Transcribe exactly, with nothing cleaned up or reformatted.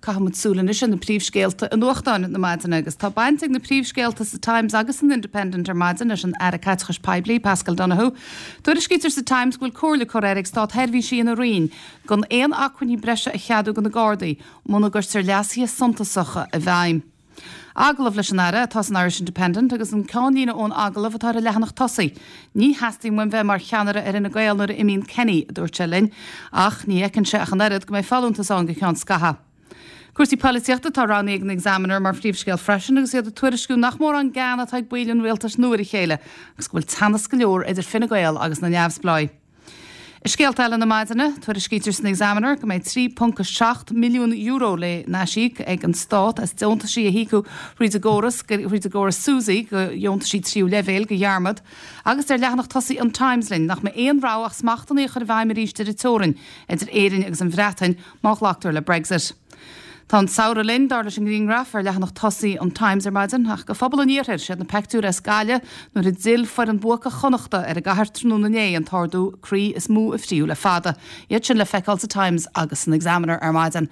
Caithfimid súil anois ar na príomhscéalta i nuachtáin na maidine agus tá baint ag na príomhscéalta sa Times agus san Independent ar maidin leis an Aire Caiteachais Poiblí Paschal Donohoe. Tuairiscítear sa Times go bhfuil comhairle curtha air ag státseirbhísigh ina roinn gan aon acmhainní breise a cheadú do na Gardaí muna gcuirtear leasuithe suntasacha i bhfeidhm. Agallamh leis an Aire atá san Irish Independent agus an ceannlíne ón agallamh atá ar an leathanach tosaigh. Ní theastaíonn uaim bheith mar cheannaire ar Fhine Gael nuair a imíonn Kenny a dúirt sé linn, ach ní fheiceann sé ach an oiread go mbeidh folúntas ann go ceann scaithimh. Cúrsaí polaitíochta tá roghnaithe ag an Examiner mar phríomhscéal freisin agus iad ag tuairisciú nach mór an gean atá ag baill an rialtais nua ar a chéile, agus go bhfuil teannas go leor idir Fine Gael agus na neamhspleáigh. I scéalta eile na maidine, tuairiscítear san Examiner go mbeidh trí ponc a seacht milliún euro le n-aisíoc ag an stát as deontaisí a híocadh thríd an gcóras thríd an gcóras SUSI go dheontaisí tríú leibhéal de dhearmad, agus deir leathanach tosaigh an Times linn nach mbeidh aon rogha ach smachtbhannaí a chur i bhfeidhm arís ar an teorainn idir Éirinn agus an Bhreatain má ghlactar le Brexit. Tá an samhradh linn dar leis an ngrianghraf ar leathanach tosaigh an Times ar maidin ach go phobal an iarthair siad na pictiúir as Gaillimh nuair a d'fhill foireann bhuacach Chonnachta ar an gcathair tráthnóna inné an t-ardú croí is mó a fríothadh le fada. Iad sin le feiceáil sa Times agus san Examiner ar maidin.